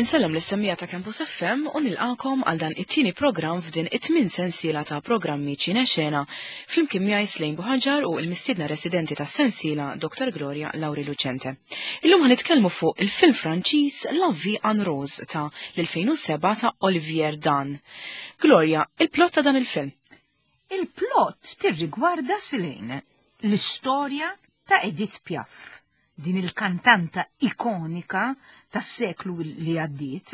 Insellem lis-semmiegħa ta' Campus FM u nilqakom għal dan it-tieni programm f'din it-tmien sensiela ta' programmi Ċine Xena flimkien miegħi Slejn Buħaġar u l-mistiedna residenti tas-sensiela Dr. Gloria Lauri Lucente. Illum ħanitkellmu fuq il-film Franċiż La Vie en Rose ta' l-2007 ta' Olivier Dan. Gloria, il-plot ta' dan il-film. Il-plot tirrigwarda Slejn l-istorja ta' Edith Piaf din il-kantanta ikonika tas-seklu li għaddiet,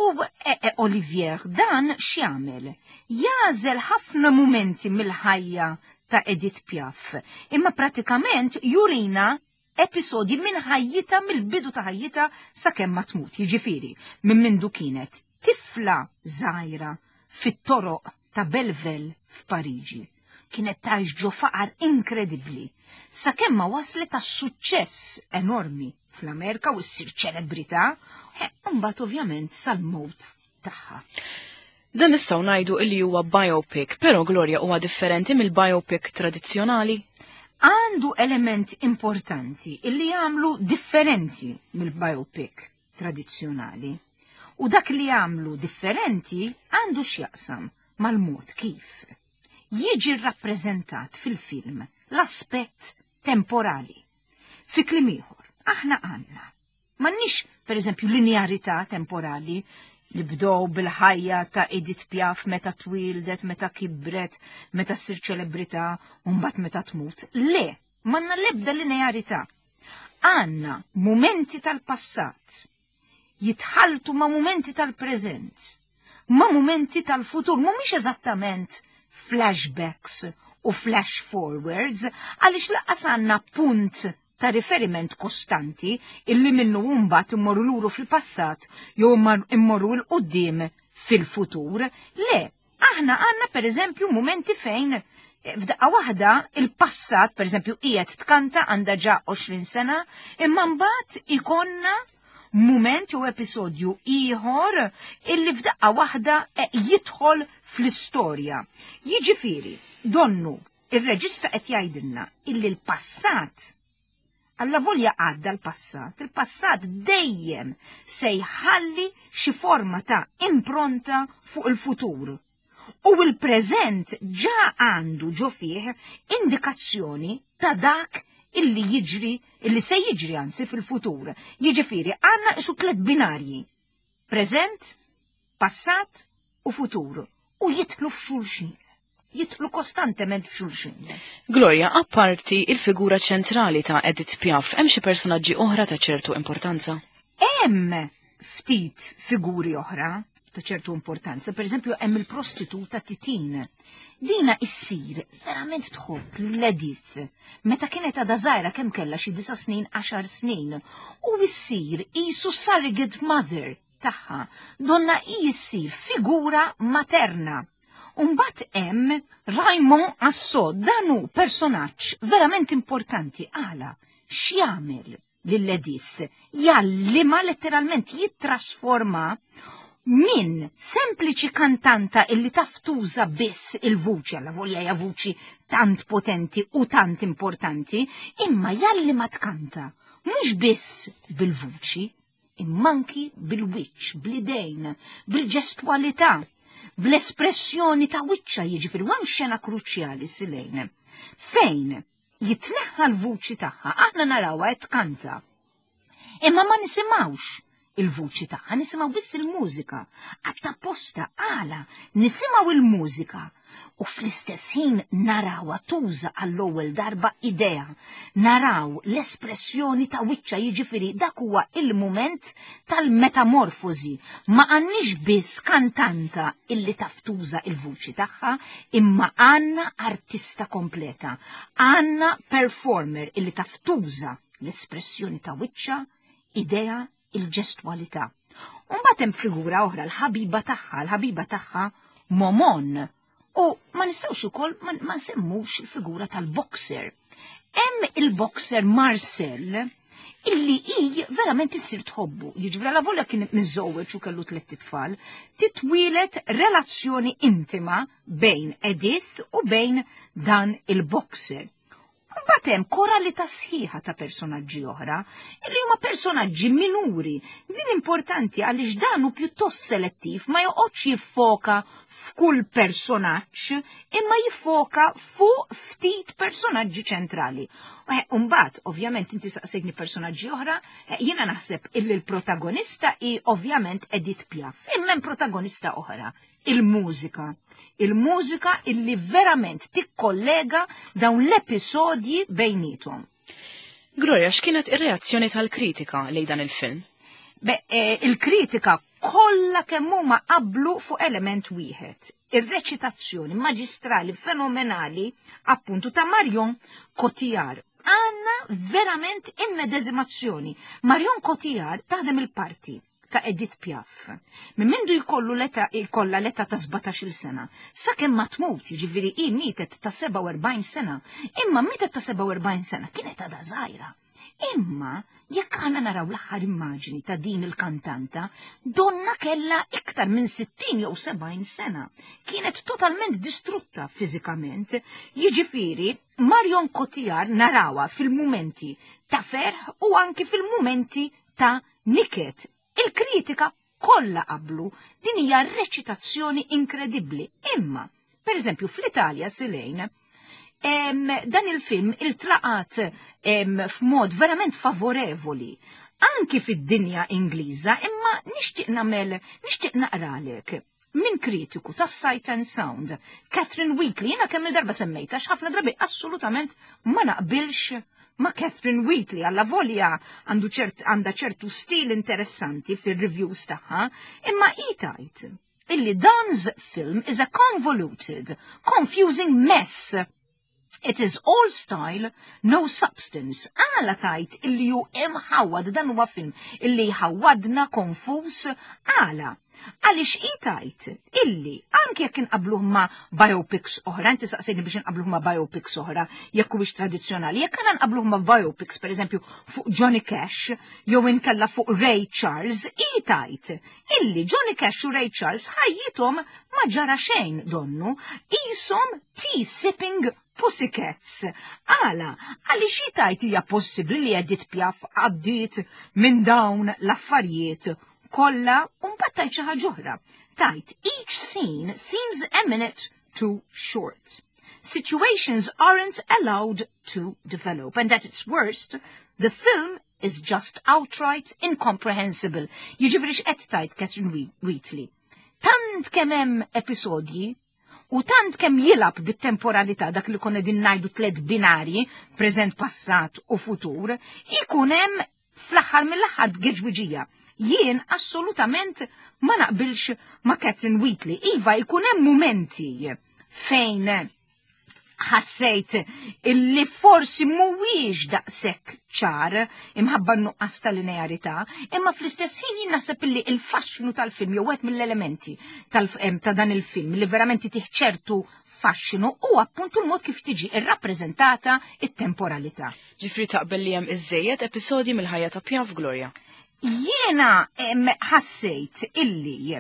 u e, e, Olivier dan x'jagħmel? Jagħżel ħafna mumenti mill-ħajja ta' Edith Piaf, imma pratikament jurina episodji minn ħajjita mill-bidu ta' ħajjita sakemm ma tmut, jiġifieri minn mindu kienet tifla żgħira fit-toroq ta' Belleville f'Pariġi. Kienet tgħix ġo faqar inkredibbli, sakemm ma waslet għas-suċċess enormi fl-Amerika u ssir ċelebrità, u mbagħad ovvjament sal-mewt tagħha. Dan nistgħu ngħidu illi huwa biopic, però Gloria huwa differenti mill-biopic tradizzjonali? Għandu element importanti illi jagħmlu differenti mill-biopic tradizzjonali. U dak li jagħmlu differenti għandu x'jaqsam mal-mod kif jiġi rrappreżentat fil-film l-aspett temporali. Fi kliem ieħor, aħna għandna m'għandniex pereżempju linearità temporali nibdew bil-ħajja ta' Edith Piaf meta twildet, meta kibret, meta ssir ċelebrità u mbagħad meta tmut. Le, m'għandna l-ebda linearità. Għandna mumenti tal-passat jitħaltu ma' mumenti tal-preżent, ma' mumenti tal-futur, mhumiex eżattament flashbacks u flash forwards, għaliex lanqas għandna punt ta' riferiment kostanti illi minnu mbagħad immorru luru fil-passat jew immorru 'l quddiem fil-futur. Le, aħna għandna pereżempju mumenti fejn f'daqqa waħda il-passat, pereżempju qiegħed tkanta għandha ġa 20 sena, imma mbagħad ikonna mument jew episodju ieħor illi f'daqqa waħda jidħol fl-istorja. Jiġifieri, donnu ir-reġista qed jgħidilna illi l-passat Alla volja għadda l-passat, il-passat dejjem se jħalli xi forma ta' impronta fuq il-futur. U l-preżent ġa għandu ġo fih indikazzjoni ta' dak illi jiġri, illi se jiġri anzi fil-futur. Jiġifieri għandna isu tliet binarji. Preżent, passat u futur. U jidħlu f'xulxin. Jidħlu kostantement f'xulxin. Gloria, apparti il-figura ċentrali ta' Edith Piaf, hemm xi personaġġi oħra ta' ċertu importanza? Hemm ftit figuri oħra ta' ċertu importanza. Per eżempju, hemm il-prostituta Titin. Dina issir verament tħobb lil Edith meta kienet għadha żgħira kemm kellha xi 9 snin, 10 snin, u issir qisu surrogate mother tagħha. Donna hi issir figura materna. Umbat hemm Raymond Asso, dan hu personaġġ verament importanti għala x'jagħmel lil Edith, jgħallimha letteralment jittrasforma minn sempliċi kantanta illi taf tuża biss il-vuċi, alla volja hija vuċi tant potenti u tant importanti, imma jgħallimha tkanta mhux biss bil-vuċi, imma anki bil-wiċċ, bl-idejn, bil-ġestwalità, bl-espressjoni ta' wiċċa, jiġifieri hemm xena kruċjali Silejn. Fejn jitneħħa l-vuċi tagħha, aħna narawha qed tkanta. Imma ma nisimgħux il-vuċi tagħha, nisimgħu biss il-mużika. Għatta posta għala nisimgħu il-mużika u fl-istess ħin narawha tuża għall-ewwel darba idea, naraw l-espressjoni ta' wiċċa, jiġifieri dak huwa il-mument tal-metamorfosi. Ma għandniex biss kantanta illi taf tuża il-vuċi tagħha, imma għandna artista kompleta, għandna performer illi taf tuża l-espressjoni ta' wiċċa, idea, il-ġestwalità. Mbagħad hemm figura oħra, l-ħabiba tagħha, l-ħabiba tagħha Momon. U ma nistgħux ukoll ma nsemmux il-figura tal-boxer. Hemm il-boxer Marcel illi hi verament issir tħobbu. Jiġifieri alla volja kien miżżewweġ u kellu tliet itfal, titwielet relazzjoni intima bejn Edith u bejn dan il-boxer. Mbagħad hemm koralità sħiħa ta' personaġġi oħra li huma personaġġi minuri. Din importanti għaliex dan hu pjuttost selettiv, ma joqgħodx jiffoka f'kull personaġġ, imma jiffoka fuq ftit personaġġi ċentrali. Mbagħad, ovvjament, inti saqsejtni personaġġi oħra, jiena naħseb illi l-protagonista hi ovvjament Edith Piaf, imma hemm protagonista oħra, il-mużika. Il-mużika illi verament tikkollega dawn l-episodji bejniethom. Gloria, x'kienet ir-reazzjoni tal-kritika lejn dan il-film? Be, il-kritika kollha kemm huma qablu fuq element wieħed. Ir-reċitazzjoni maġistrali fenomenali appuntu ta' Marion Cotillard. Għandna verament immedeżimazzjoni. Marion Cotillard taħdem il-parti ta' Edith Piaf. Minn mindu jkollu l-età jkollha l-età ta' 17-il sena, sakemm ma tmut, jiġifieri hi mietet ta' 47 sena, imma mietet ta' 47 sena kienet għadha żgħira. Imma jekk aħna naraw l-aħħar immaġini ta' din il-kantanta, donna kellha iktar minn 60 jew 70 sena. Kienet totalment distrutta fiżikament, jiġifieri Marion Cotillard narawha fil-mumenti ta' ferħ u anki fil-mumenti ta' niket. Il-kritika kollha qablu, din hija reċitazzjoni inkredibbli. Imma, per eżempju, fl-Italja Silejn, dan il-film iltlaqat f'mod verament favorevoli anki fid-dinja Ingliża, imma nixtieq nagħmel, nixtieq naqralek minn kritiku ta' Sight and Sound, Catherine Wheatley, jiena kemm il-darba semmejta, ħafna drabi assolutament ma naqbilx ma' Catherine Wheatley, alla volja għandu ċert, għandha ċertu stil interessanti fil-reviews tagħha, imma hi tgħid illi Donne's film is a convoluted, confusing mess. It is all style, no substance. Għala tgħid illi hu imħawad, dan huwa film illi ħawadna konfus, għala. Għaliex hi tgħid illi anke jekk inqabluh ma' biopics oħra, inti saqsejni biex inqabluh ma' biopics oħra, jekk huwiex tradizzjonali, jekk għandna nqabluh ma' biopics, per eżempju, fuq Johnny Cash, jew inkella fuq Ray Charles, hi tgħid illi Johnny Cash u Ray Charles ħajjithom ma ġara xejn donnu, qishom tea-sipping pussycats. Għala, għaliex hi tgħid hija possibbli li Edith Piaf għaddiet minn dawn l-affarijiet kollha, u mbagħad tgħid xi ħaġa oħra. Tgħid each scene seems a minute too short. Situations aren't allowed to develop, and at its worst, the film is just outright incomprehensible. Jiġifieri x'qed tgħid Catherine Wheatley? Tant kemm hemm episodji u tant kemm jilgħab bit-temporalità dak li konna din ngħidu tliet binarji, preżent, passat u futur, ikun hemm fl-aħħar mill-aħħar tgeġwiġija. Jien assolutament ma naqbilx ma' Catherine Wheatley. Iva, ikun hemm mumenti fejn ħassejt illi forsi mhuwiex daqshekk ċar imħabba n-nuqqas ta' linearità, imma fl-istess ħin jien naħseb illi il-faxxinu tal-film jew wieħed mill-elementi ta' dan il-film li verament tih ċertu faxxinu u appuntu l-mod kif tiġi irrappreżentata it-temporalità. Ġifri taqbel li hemm iżżejjed episodji mill-ħajja ta' Piaf, Gloria? Jiena ħassejt illi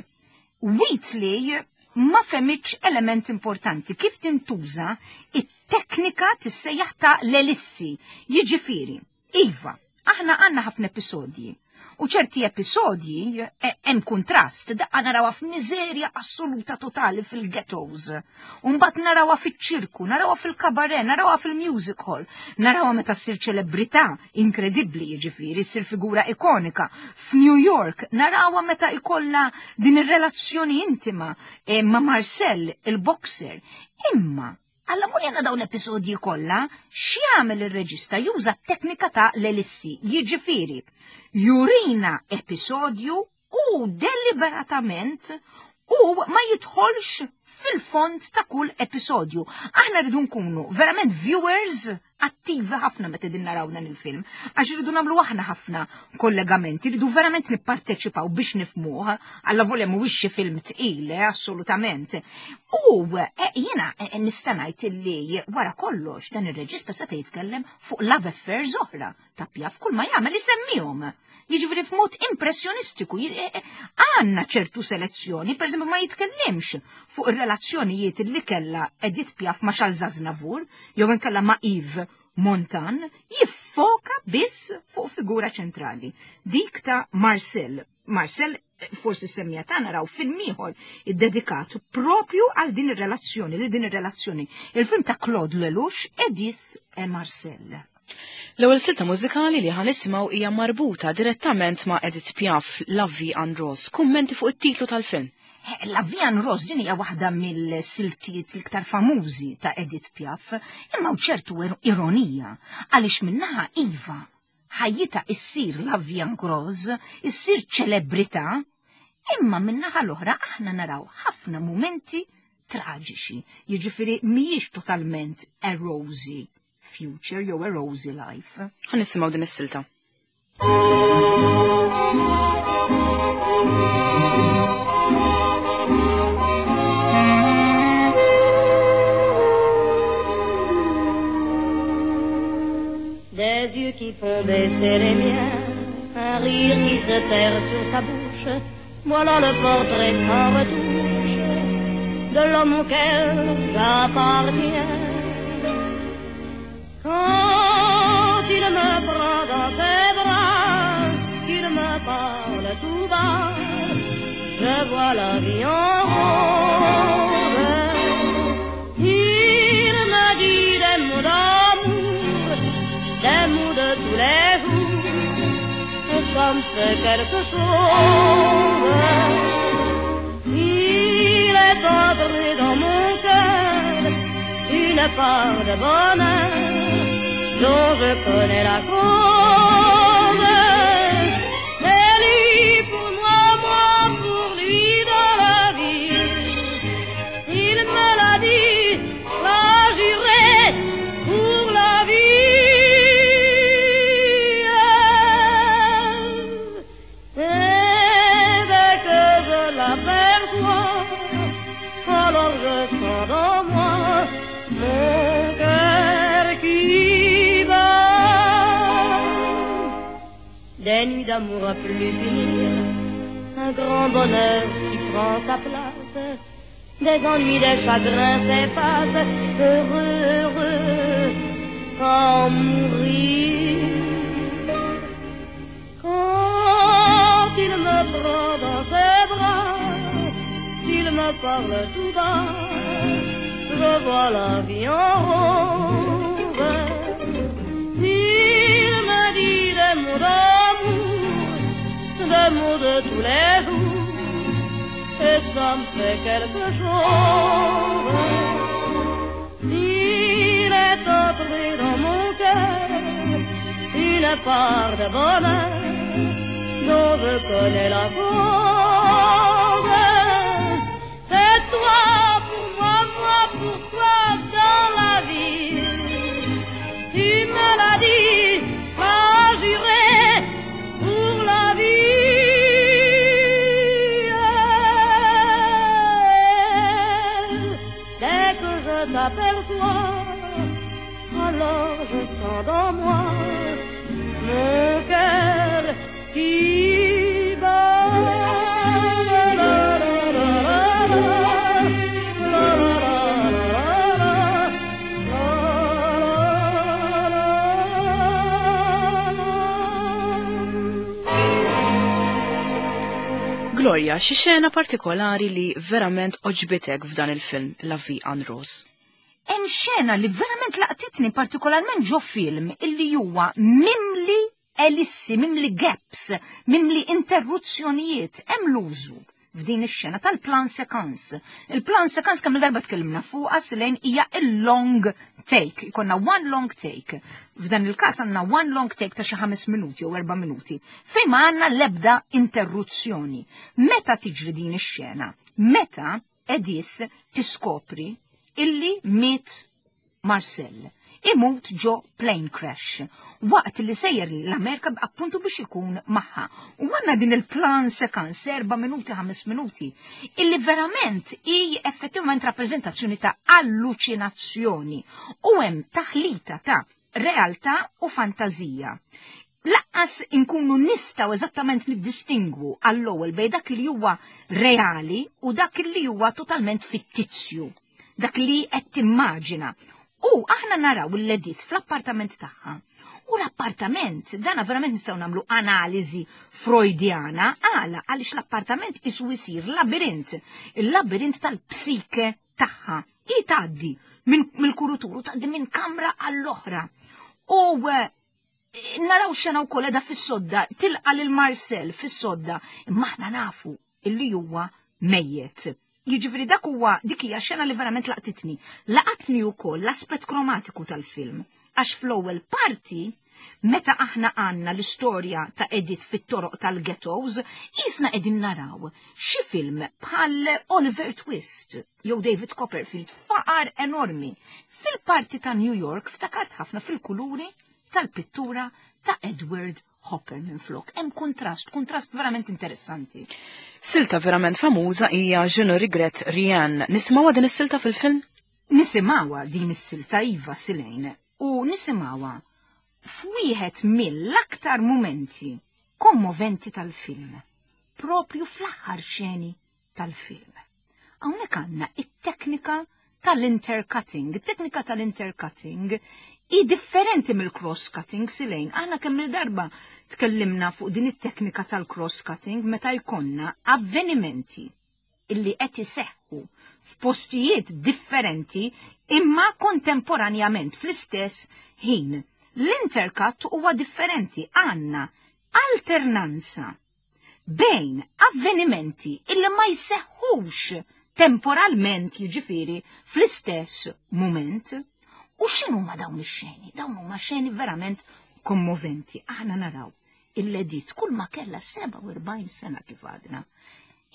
Wheatley ma fehmitx element importanti kif tintuża it-teknika tissejjaħ ta' l-elissi. Jiġifieri, iva, aħna għandna ħafna episodji. U ċerti episodji hemm kontrast, daqqa narawha f'miżerja assoluta totali fil-ghettos. U mbagħad narawha fiċ-ċirku, narawha fil-kabaret, narawha fil-music hall, narawha meta ssir ċelebrità inkredibbli, jiġifieri ssir figura ikonika. F'New York narawha meta ikollha din ir-relazzjoni intima ma' Marcel, il-boxer. Imma Alla mur jena dawn l-episodji kollha, x'jagħmel ir-reġista juża t-teknika ta' l-elissi, jiġifieri jurina episodju u deliberatament u ma jidħolx fil-fond ta' kull episodju. Aħna rridu nkunu verament viewers attivi ħafna meta din naraw dan il-film, għax irridu nagħmlu aħna ħafna kollegamenti, rridu verament nipparteċipaw biex nifhmuh, alla volja mhuwiex xi film tqil, assolutament. U jiena nista' ngħid illi wara kollox dan ir-reġista seta' jitkellem fuq love affairs oħra ta' Piaf, kull ma jagħmel isemmihom. Jiġifieri f'mod impressjonistiku, għandna ċertu selezzjoni, per eżempju ma jitkellimx fuq ir-relazzjonijiet li kellha Edith Piaf ma' Charles Aznavour, jew inkella ma' Yves. Montan jiffoka biss fuq figura ċentrali, dik ta' Marcel. Marcel forsi semmija ta' naraw film ieħor iddedikat propju għal din ir-relazzjoni, li din ir-relazzjoni. Il-film ta' Claude Lelouch, Edith e Marcel. L-ewwel silta mużikali li ħanisimgħu hija marbuta direttament ma' Edith Piaf, La Vie en Rose. Kummenti fuq it-titlu tal-film. La Vie en Rose din hija waħda mill-siltiet l-iktar famużi ta' Edith Piaf, imma ċertu ironija għaliex minnaħa iva ħajjitha issir La Vie en Rose, issir ċelebrità, imma min-naħa l-oħra aħna naraw ħafna mumenti traġiċi, jiġifieri mhijiex totalment a rosy future jew a rosy life. Ħa nisimgħu din is-silta. Des yeux qui font baisser les miens, un rire qui se perd sur sa bouche, voilà le portrait sans retouche de l'homme auquel j'appartiens. Quand il me prend dans ses bras, qu'il me parle tout bas, je vois la vie en rose. Il me dit des mots d'amour, des mots de tous les jours, et ça me fait quelque chose. Il est entré dans mon cœur une part de bonheur dont je connais la cause. C'est lui pour moi, moi pour lui dans la vie. Il me l'a dit, l'a juré pour la vie. Et dès que je l'aperçois, alors je sens dans moi mon cœur qui bat. Des nuits d'amour à plus finir, un grand bonheur qui prend sa place, des ennuis, des chagrins s'effacent, heureux, heureux, quand mourir. Quand il me prend dans ses bras, qu'il me parle tout bas, je vois la vie en rose. Il me dit des mots d'amour, des mots de tous les jours, et ça me fait quelque chose. Il est entré dans mon cœur une part de bonheur dont je connais la cause. C'est toi pour moi, moi pour toi dans la vie. Tu me l'as dit, m'as juré pour la vie. Dès que je t'aperçois, alors je sens dans moi mon cœur qui bat. La, la, la, la, la, la, la, la, la, la, la. Gloria, xi xena partikolari li verament oġbitek f'dan il-film La Vie en Rose? Hemm xena li verament laqtitni partikolarment ġo film illi huwa mimli elissi, mimli gaps, mimli interruzzjonijiet, hemm l-użu f'din ix-xena tal-plan séquence. Il-plan séquence kemm il-darba tkellimna fuqha Silejn hija il-long take, ikonna one long take. F'dan il-każ għandna one long take ta' xi 5 minuti jew 4 minuti, fejn ma għandna l-ebda interruzzjoni. Meta tiġri din ix-xena? Meta Edith tiskopri illi miet Marcel. Imut ġo plane crash, waqt li sejjer l-Amerika appuntu biex ikun magħha. U għandna din il-plan séquence, 4 minuti, 5 minuti, illi verament hi effettivament rappresentazzjoni ta' allucinazzjoni u hemm taħlita ta' realtà u fantazija. Laqqas inkunu nistgħu eżattament niddistingwu għall-ewwel bejn dak li huwa reali u dak li huwa totalment fittizju, dak li qed timmaġina. U aħna naraw l-Edith fl-appartament tagħha. U l-appartament, dana verament nistgħu nagħmlu analiżi Freudjana, għala għaliex l-appartament isu jsir labirint, il-labirint tal-psike tagħha. Hi tgħaddi mill-kuruturu, tgħaddi minn kamra għall-oħra. U naraw xena wkoll qiegħda fis-sodda, tilqa' lil Marcel fis-sodda, imma aħna nafu illi huwa mejjet. Jiġifieri dak huwa dik hija xena li verament laqtitni. Laqatni wkoll l-aspett kromatiku tal-film, għax fl-ewwel parti meta aħna għandna l-istorja ta' Edith fit-toroq tal-ghettos, qisna qegħdin naraw xi film bħal Oliver Twist jew David Copperfield, faqar enormi. Fil-parti ta' New York ftakart ħafna fil-kuluri tal-pittura ta' Edward Hopper minflok. Hemm kuntrast, kuntrast verament interessanti. Silta verament famuża hija Je ne regrette rien. Nisimgħuha din is-silta fil-film? Nisimgħuha din is-silta iva Silejn u nisimgħuha f'wieħed mill-aktar mumenti kommoventi tal-film, propju fl-aħħar xeni tal-film. Hawnhekk għandna it-teknika tal-intercutting. It-teknika tal-intercutting hi differenti mill-cross-cutting Silejn. Aħna kemm il-darba tkellimna fuq din it-teknika tal-cross-cutting meta jkollna avvenimenti illi qed iseħħu f'postijiet differenti imma kontemporanjament fl-istess ħin. L-intercut huwa differenti, għandna alternanza bejn avvenimenti illi ma jseħħux temporalment, jiġifieri fl-istess mument. U x'inhuma dawn ix-xeni? Dawn huma xeni verament kommoventi. Aħna naraw il-Edith kull ma kellha 47 sena kif għadna.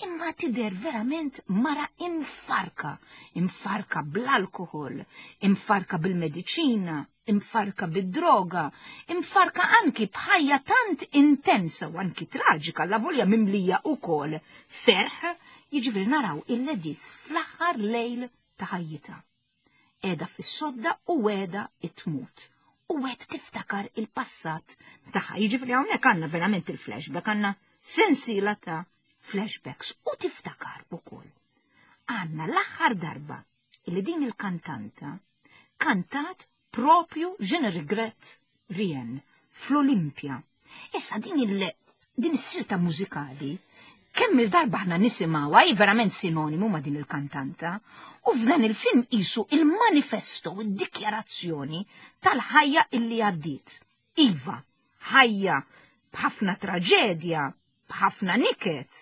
Imma tidher verament mara imfarka, imfarka bl-alkohol, imfarka bil-mediċina, imfarka bid-droga, imfarka anki b'ħajja tant intensa u anki traġika, la volja mimlija ukoll ferħ, jiġifieri naraw il-Edith fl-aħħar lejl ta' ħajjitha. Qiegħda fis-sodda u qiegħda tmut. U qed tiftakar il-passat tagħha. Jiġifieri hawnhekk għandna verament il-flashback, għandna sensiela ta' flashbacks u tiftakar ukoll. Għandna l-aħħar darba li din il-kantanta kantat propju Je ne regrette rien fl-Olimpja. Issa din il din is-silta mużikali kemm il-darba aħna nisimgħuha hi verament sinonimu ma' din il-kantanta, u f'dan il-film qisu il-manifesto, id-dikjarazzjoni tal-ħajja illi għaddiet. Iva, ħajja b'ħafna traġedja, b'ħafna niket,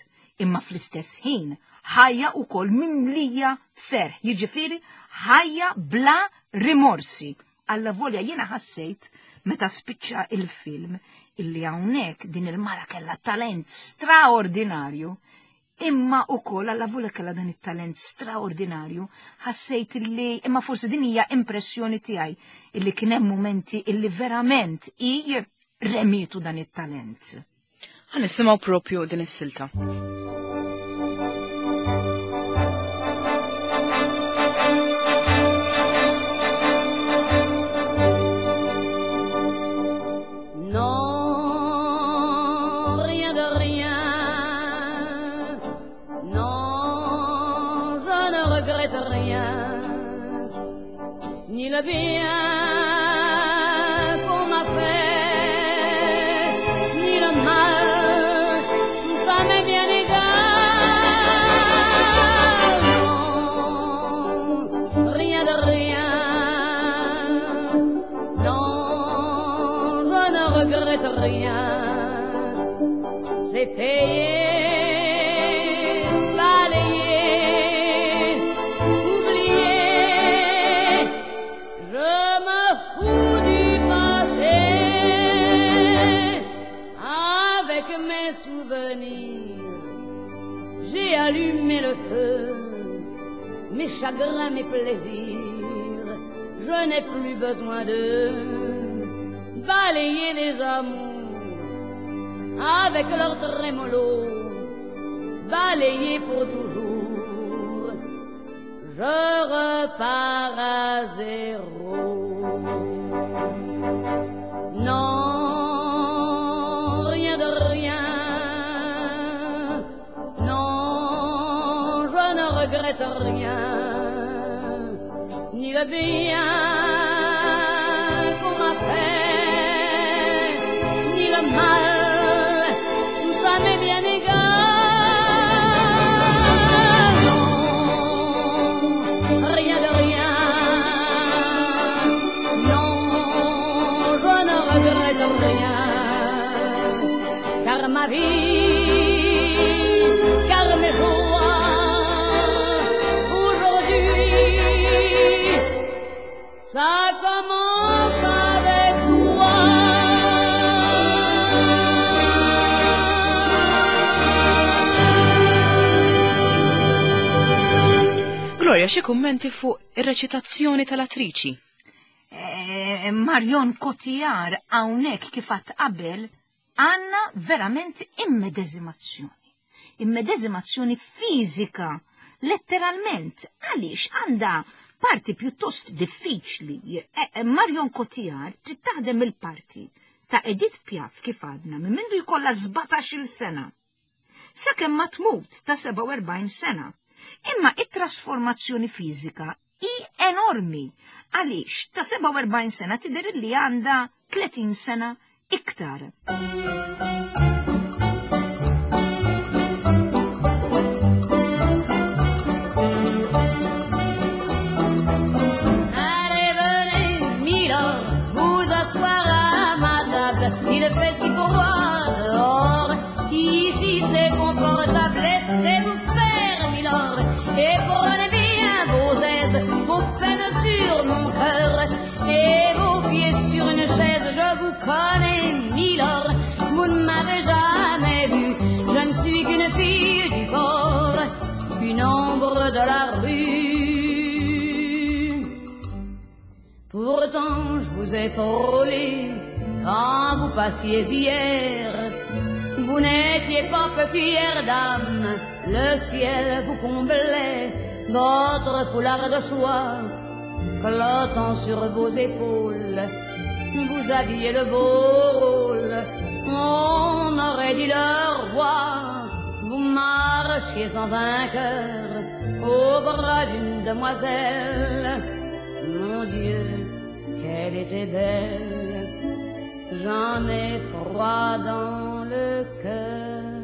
imma fl-istess ħin ħajja wkoll mimlija ferħ, jiġifieri ħajja bla rimorsi. Alla volja jiena ħassejt meta spiċċa il-film illi hawnhekk din il-mara kellha talent straordinarju, imma wkoll alla volja kellha dan it-talent straordinarju, ħassejt illi, imma forsi din hija impressjoni tiegħi, illi kien hemm mumenti illi verament hi remietu dan it-talent. Ħa nisimgħu propju din is-silta. Non, rien de rien. Non, je ne regrette rien. Ni le bien qu'on m'a fait, ni le mal, tout ça m'est bien égal. Non, rien de rien. Non, je ne regrette rien. C'est payé, balayé, oublié. Je me fous du passé avec mes souvenirs. J'ai allumé le feu, mes chagrins, mes plaisirs. Je n'ai plus besoin de balayer les amours avec leur trémolo, balayer pour toujours. Je repars à zéro. Non, rien de rien. Non, je ne regrette rien, ni le bien Gloria, xi kummenti fuq ir-reċitazzjoni tal-attriċi? Eh, Marion Cotillard hawnhekk kif għadt qabel għandna verament immedeżimazzjoni. Immedeżimazzjoni fiżika, letteralment, għaliex għandha parti pjuttost diffiċli. Eh, Marion Cotillard trid taħdem il-parti ta' Edith Piaf kif għadna minn mindu jkollha 17-il sena. Sakemm ma tmut ta' 47 sena. Imma it-trasformazzjoni fiżika hi enormi għaliex ta' 47 sena tidher li għandha 30 sena iktar. Allez, venez, Milord, vous asseoir à ma table. Il fait si froid dehors. Ici c'est confortable, laissez-vous faire, Milord. Et prenez bien vos aises, vos peines sur mon cœur. Et vos pieds sur une chaise, je vous connais, Milord. Vous ne m'avez jamais vu, je ne suis qu'une fille du port, une ombre de la rue. Pourtant, je vous ai frôlé quand vous passiez hier. Vous n'étiez pas peu fière dame, le ciel vous comblait, votre foulard de soie clottant sur vos épaules. Vous aviez le beau rôle, on aurait dit le roi. Vous marchiez en vainqueur au bras d'une demoiselle. Mon Dieu, qu'elle était belle, j'en ai froid dans le cœur.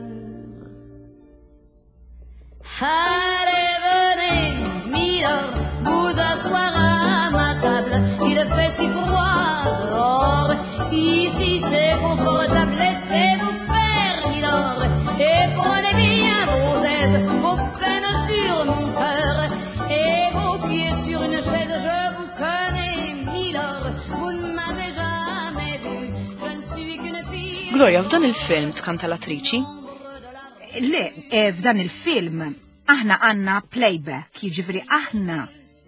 Allez, venez, Milord, vous asseoir à ma table. Il fait si froid dehors, ici c'est confortable. Laissez-vous faire, Milord, et prenez bien vos aises, vos peines sur mon cœur, et vos pieds sur une chaise. Je vous connais, Milord, vous ne m'avez jamais vu. Je ne suis qu'une fille. Gloria, f'dan il-film tkanta l-attriċi? Le, f'dan il-film aħna għandna playback, jiġifieri aħna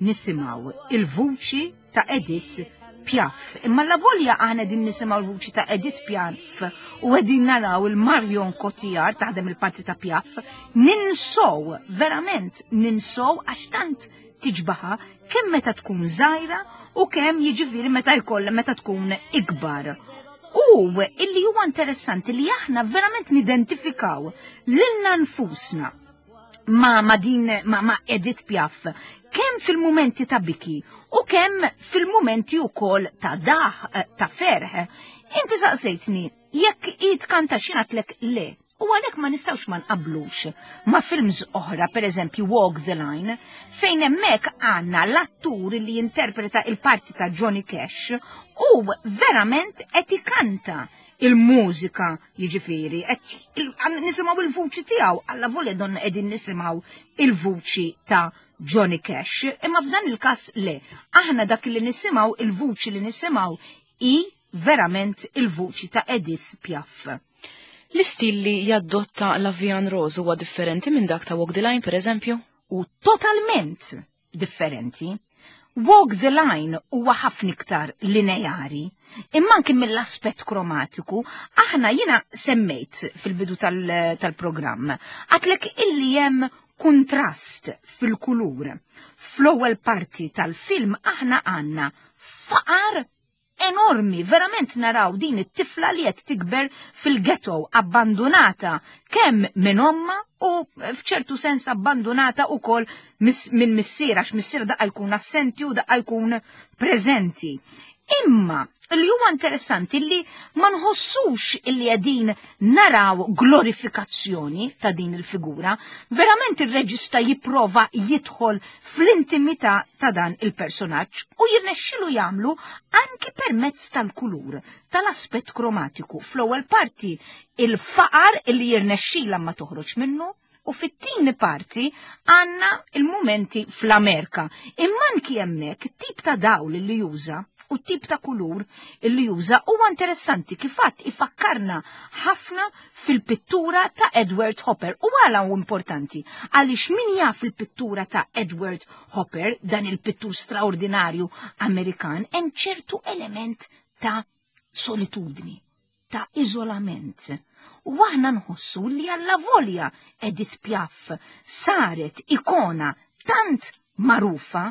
nisimgħu il-vuċi ta' Edith Piaf. Imma la volja aħna din nisimgħu l-vuċi ta' Edith Piaf u qegħdin naraw il-Marion Cotillard taħdem il-parti ta' Piaf, ninsow, verament ninsow għax tant tiġbaħa kemm meta tkun żgħira u kemm jiġifieri meta jkollha meta tkun ikbar. U illi huwa interessanti li aħna verament nidentifikaw lilna nfusna ma din ma Edith Piaf kemm fil-mumenti ta' biki u kemm fil-mumenti wkoll ta' daħ ta' ferħ. Inti saqsejtni jekk hi tkanta x'ingħadlek le. U għalhekk ma nistgħux ma nqablux ma' films oħra, per eżempju Walk the Line, fejn hemmhekk għandna l-attur li jinterpreta il-parti ta' Johnny Cash u verament qed ikanta il-mużika, jiġifieri, qed nisimgħu il-vuċi tiegħu, alla volja donna qegħdin nisimgħu il-vuċi ta' Johnny Cash, imma f'dan il-każ le, aħna dak li nisimgħu, il-vuċi li nisimgħu hi verament il-vuċi ta' Edith Piaf. L-istil li jaddotta La Vie en Rose huwa differenti minn dak ta' Walk the Line, per eżempju? U totalment differenti. Walk the Line huwa ħafna iktar lineari, imma anki mill-aspett kromatiku, aħna jiena semmejt fil-bidu tal-programm, għatlek illi hemm kuntrast fil-kulur. Fl-ewwel parti tal-film aħna għandna faqar enormi, verament naraw din it-tifla li qed tikber fil-ghetto, abbandonata kemm minn omma u f'ċertu sens abbandonata wkoll minn missiera, għax missiera daqqa jkun assenti u daqqa jkun preżenti. Imma li huwa interessanti li ma nħossux illi qegħdin naraw glorifikazzjoni ta' din il-figura, verament ir-reġista jipprova jidħol fl-intimità ta' dan il-personaġġ u jirnexxilu jagħmlu anki permezz tal-kulur, tal-aspett kromatiku. Fl-ewwel parti il-faqar illi jirnexxila ma toħroġ minnu, u fit-tieni parti għandna il-mumenti fl-Amerika. Imma anki hemmhekk tip ta' dawl li juża U tip ta' kulur illi juża huwa interessanti kif għadt ifakkarna ħafna fil-pittura ta' Edward Hopper. U għala hu importanti? Għaliex min jaf il-pittura ta' Edward Hopper, dan il-pittur straordinarju Amerikan, hemm ċertu element ta' solitudni, ta' iżolament. U aħna nħossu li allavolja Edith Piaf saret ikona tant magħrufa,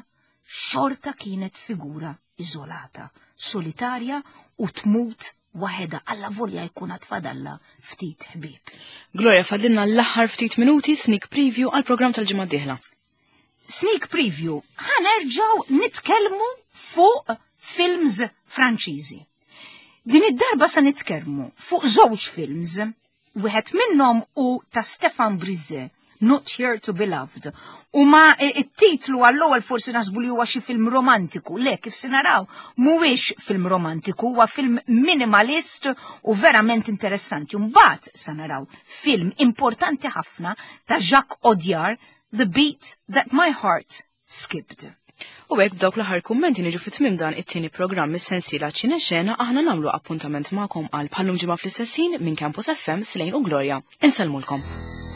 xorta kienet figura iżolata, solitarja u tmut waħedha allavolja jkun għad fadalla ftit ħbieb. Gloria, fadlilna l-aħħar ftit minuti sneak preview għall-programm tal-ġimgħa d-dieħla. Sneak preview, ħa nerġgħu nitkellmu fuq films Franċiżi. Din id-darba sa nitkellmu fuq żewġ films. Wieħed minnhom hu ta' Stefan Brizze, Not Here to Be Loved. U ma it-titlu għall-ewwel forsi naħsbu li huwa xi film romantiku. Le, kif se naraw, mhuwiex film romantiku, huwa film minimalist u verament interessanti. Mbagħad sa naraw film importanti ħafna ta' Jacques Audiard, The Beat That My Heart Skipped. U hekk b'dawk l-aħħar kummenti niġu fi tmiem dan it-tieni programm mis-sensiela Ċine Xena aħna nagħmlu appuntament magħkom għal bħallum ġimgħa fl-istess ħin minn Campus FM Slejn u Gloria. Insellmulkom.